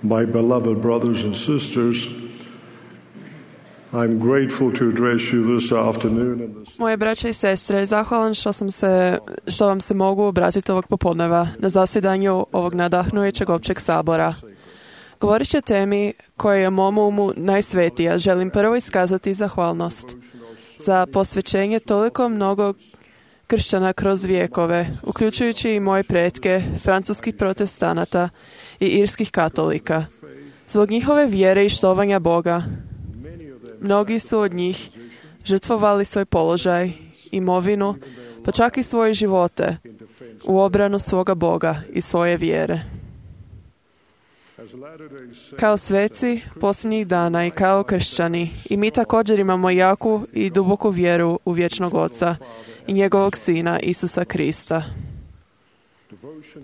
My beloved brothers and sisters, I'm grateful to address you this afternoon in this. Moje braće i sestre, zahvalan što vam se mogu obratiti ovog popodneva na zasjedanju ovog nadahnujućeg općeg sabora. Govorit ću o temi koja je mom umu najsvetija. Želim prvo iskazati zahvalnost za posvećenje toliko mnogo kršćana kroz vijekove, uključujući i moje pretke, francuskih protestanata i irskih katolika. Zbog njihove vjere i štovanja Boga, mnogi su od njih žrtvovali svoj položaj, imovinu, pa čak i svoje živote u obranu svoga Boga i svoje vjere. Kao sveci posljednjih dana i kao kršćani, i mi također imamo jaku i duboku vjeru u vječnog Oca i njegovog Sina Isusa Krista.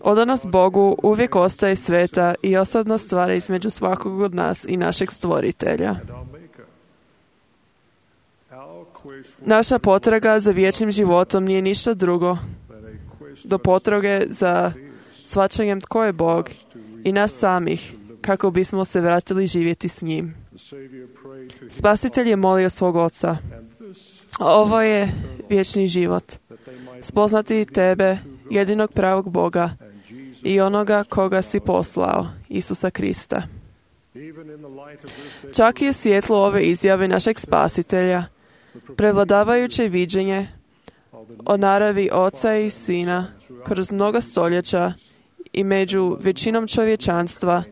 Odanost Bogu uvijek ostaje sveta i osobna stvar između svakog od nas i našeg Stvoritelja. Naša potraga za vječnim životom nije ništa drugo do potrage za shvaćanjem tko je Bog i nas samih, kako bismo se vratili živjeti s njim. Spasitelj je molio svog Oca: ovo je vječni život, spoznati tebe, jedinog pravog Boga i onoga koga si poslao, Isusa Krista. Čak i u svjetlu ove izjave našeg Spasitelja, prevladavajuće viđenje o naravi Oca i Sina kroz mnoga stoljeća i među većinom čovječanstva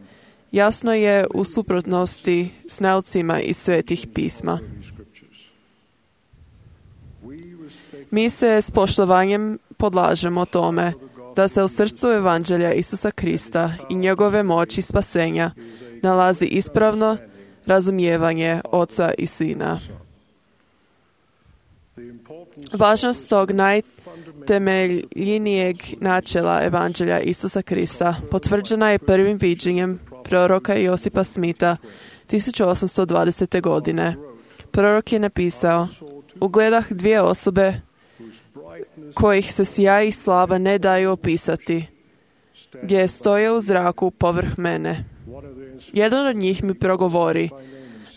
jasno je u suprotnosti s naucima iz svetih pisma. Mi se s poštovanjem podlažemo tome da se u srcu Evanđelja Isusa Krista i njegove moći spasenja nalazi ispravno razumijevanje Oca i Sina. Važnost tog najtemeljnijeg načela Evanđelja Isusa Krista potvrđena je prvim viđenjem proroka Josipa Smitha 1820. godine. Prorok je napisao: ugledah dvije osobe kojih se sjaj i slava ne daju opisati, gdje stoje u zraku povrh mene. Jedan od njih mi progovori,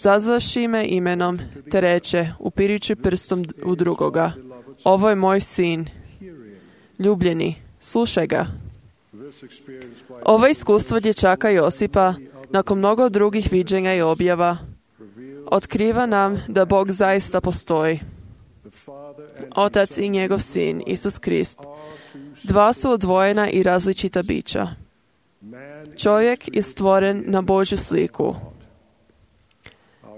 zazvavši me imenom, te reče, upirujući prstom u drugoga: ovo je moj sin, ljubljeni, slušaj ga. Ovo iskustvo dječaka Josipa, nakon mnogo drugih viđenja i objava, otkriva nam da Bog zaista postoji. Otac i njegov sin, Isus Krist, dva su odvojena i različita bića. Čovjek je stvoren na Božju sliku.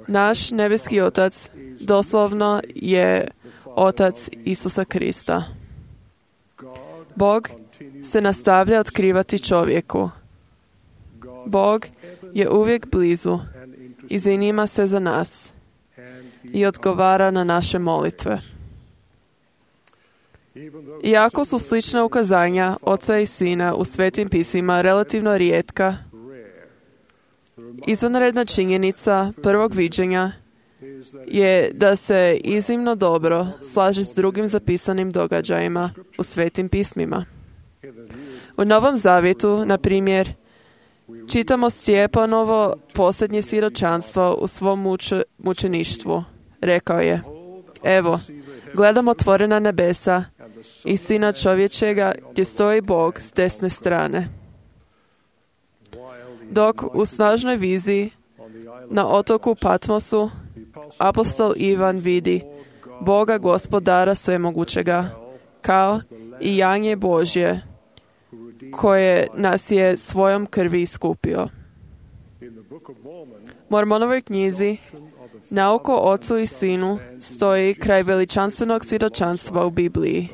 Naš nebeski Otac doslovno je Otac Isusa Krista. Bog se nastavlja otkrivati čovjeku. Bog je uvijek blizu i zanima se za nas i odgovara na naše molitve. Iako su slična ukazanja Oca i Sina u svetim pisima relativno rijetka, izvanredna činjenica prvog viđenja je da se iznimno dobro slaže s drugim zapisanim događajima u svetim pismima. U Novom Zavjetu, na primjer, čitamo Stjepanovo posljednje svjedočanstvo u svom mučeništvu. Rekao je: evo, gledam otvorena nebesa i Sina čovječega gdje stoji Bog s desne strane. Dok u snažnoj viziji na otoku Patmosu apostol Ivan vidi Boga Gospodara svemogućega kao i janje Božje koje nas je svojom krvi iskupio. Mormonovoj knjizi Nauka o Ocu i Sinu stoji kraj veličanstvenog svjedočanstva u Bibliji.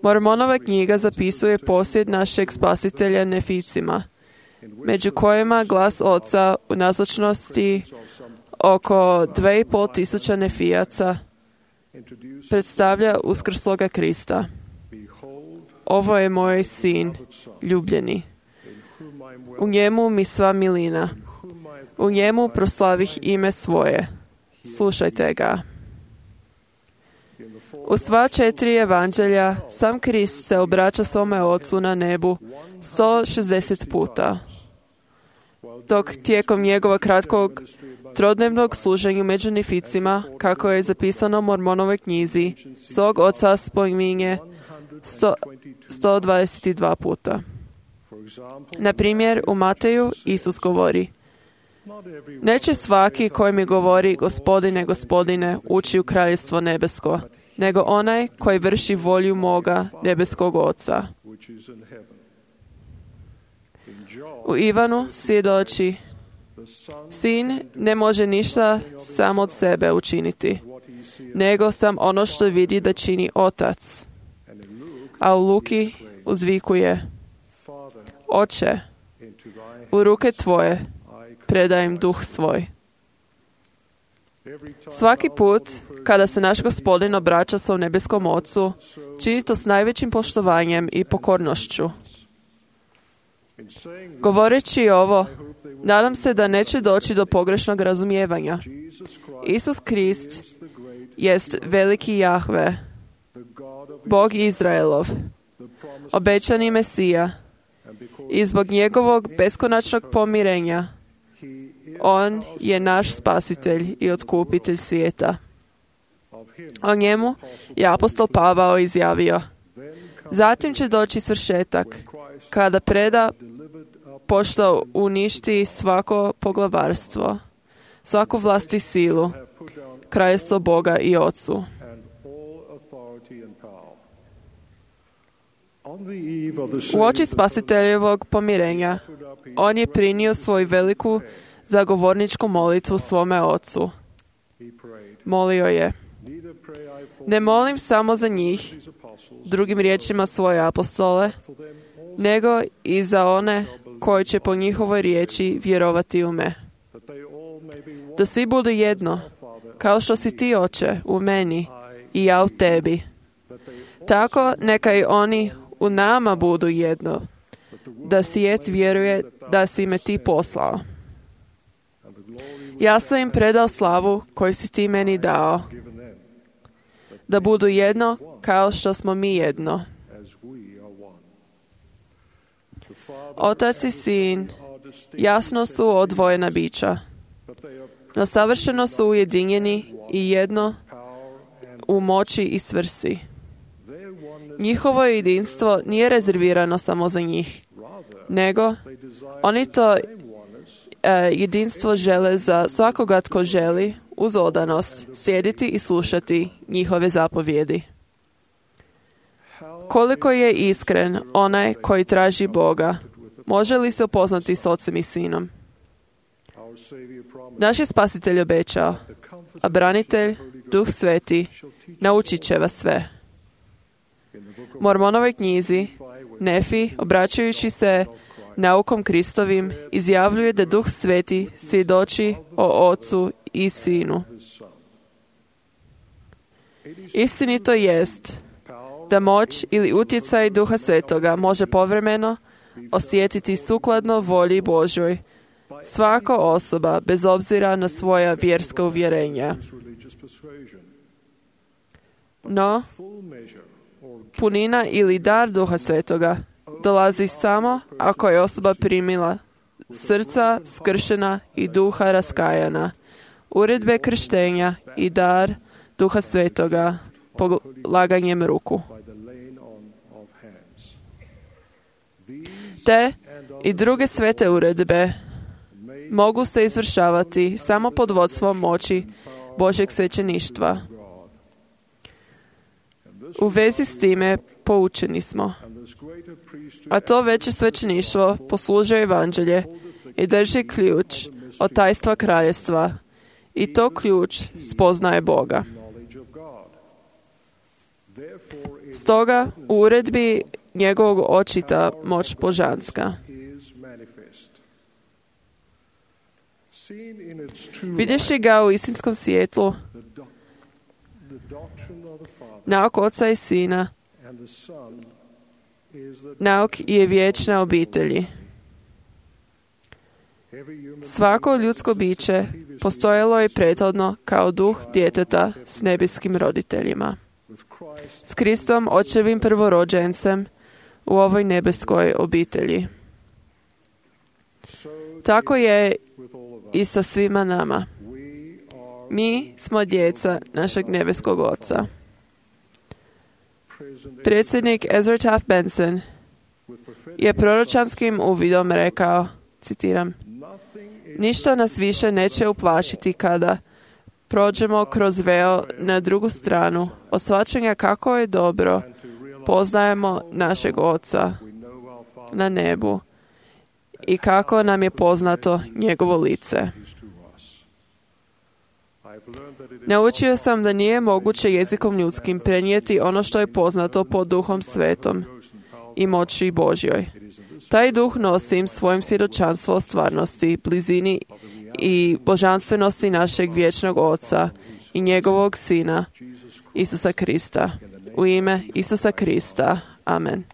Mormonova knjiga zapisuje posjed našeg Spasitelja Neficima, među kojima glas Oca u nazočnosti oko 2500 Nefijaca predstavlja uskrsloga Krista. Ovo je moj sin, ljubljeni. U njemu mi sva milina. U njemu proslavih ime svoje. Slušajte ga. U sva 4 evanđelja sam Krist se obraća svome Ocu na nebu 160 puta, dok tijekom njegova kratkog trodnevnog služenja među nificima, kako je zapisano u Mormonovoj knjizi, svog Oca spominje 122 puta. Na primjer, u Mateju Isus govori: neće svaki koji mi govori Gospodine, Gospodine, ući u kraljevstvo nebesko, nego onaj koji vrši volju moga nebeskog Oca. U Ivanu svjedoči: Sin ne može ništa sam od sebe učiniti, nego sam ono što vidi da čini Otac. A u Luki uzvikuje: Oče, u ruke tvoje predajem duh svoj. Svaki put kada se naš Gospodin obraća svom nebeskom Ocu, čini to s najvećim poštovanjem i pokornošću. Govoreći ovo, nadam se da neće doći do pogrešnog razumijevanja. Isus Krist jest veliki Jahve, Bog Izraelov, obećani Mesija, i zbog njegovog beskonačnog pomirenja on je naš spasitelj i otkupitelj svijeta. O njemu je apostol Pavao izjavio: zatim će doći svršetak, kada preda pošto uništi svako poglavarstvo, svaku vlast i silu, kraljevstvo Boga i Ocu. U oči spasiteljevog pomirenja, on je prinio svoju veliku zagovorničku molitvu svome Ocu. Molio je: ne molim samo za njih, drugim riječima svoje apostole, nego i za one koji će po njihovoj riječi vjerovati u me. Da svi budu jedno, kao što si ti, Oče, u meni i ja u tebi. Tako neka i oni u nama budu jedno, da svijet vjeruje da si me ti poslao. Ja sam im predao slavu koju si ti meni dao, da budu jedno kao što smo mi jedno. Otac i Sin jasno su odvojena bića, no savršeno su ujedinjeni i jedno u moći i svrsi. Njihovo jedinstvo nije rezervirano samo za njih, nego oni to jedinstvo žele za svakoga tko želi uz odanost sjediti i slušati njihove zapovjedi. Koliko je iskren onaj koji traži Boga, može li se upoznati s Ocem i Sinom? Naš je Spasitelj obećao, a branitelj, Duh Sveti, naučit će vas sve. U Mormonovoj knjizi Nefi, obraćajući se naukom Kristovim, izjavljuje da Duh Sveti svjedoči o Ocu i Sinu. Istinito jest da moć ili utjecaj Duha Svetoga može povremeno osjetiti sukladno volji Božjoj svaka osoba bez obzira na svoja vjerska uvjerenja. No, punina ili dar Duha Svetoga dolazi samo ako je osoba primila srca skršena i duha raskajana, uredbe krštenja i dar Duha Svetoga polaganjem ruku. Te i druge svete uredbe mogu se izvršavati samo pod vodstvom moći Božjeg svećeništva. U vezi s time poučeni smo. A to veće svećeništvo poslužuje evanđelje i drži ključ od tajstva kraljevstva. I to ključ spoznaje Boga. Stoga u uredbi njegovog očita moć božanska. Vidjevši ga u istinskom svjetlu, nauk Oca i Sina, nauk je vječna obitelji. Svako ljudsko biće postojalo je prethodno kao duh djeteta s nebeskim roditeljima. s Kristom, očevim prvorođencem, u ovoj nebeskoj obitelji. Tako je i sa svima nama. Mi smo djeca našeg nebeskog Oca. Predsjednik Ezra Taft Benson je proročanskim uvidom rekao, citiram, ništa nas više neće uplašiti kada prođemo kroz veo na drugu stranu od shvaćanja kako je dobro poznajemo našeg Oca na nebu i kako nam je poznato njegovo lice. Naučio sam da nije moguće jezikom ljudskim prenijeti ono što je poznato pod Duhom Svetom i moći Božjoj. Taj duh nosim svojim svjedočanstvo o stvarnosti, blizini i božanstvenosti našeg vječnog Oca i njegovog Sina, Isusa Krista. U ime Isusa Krista. Amen.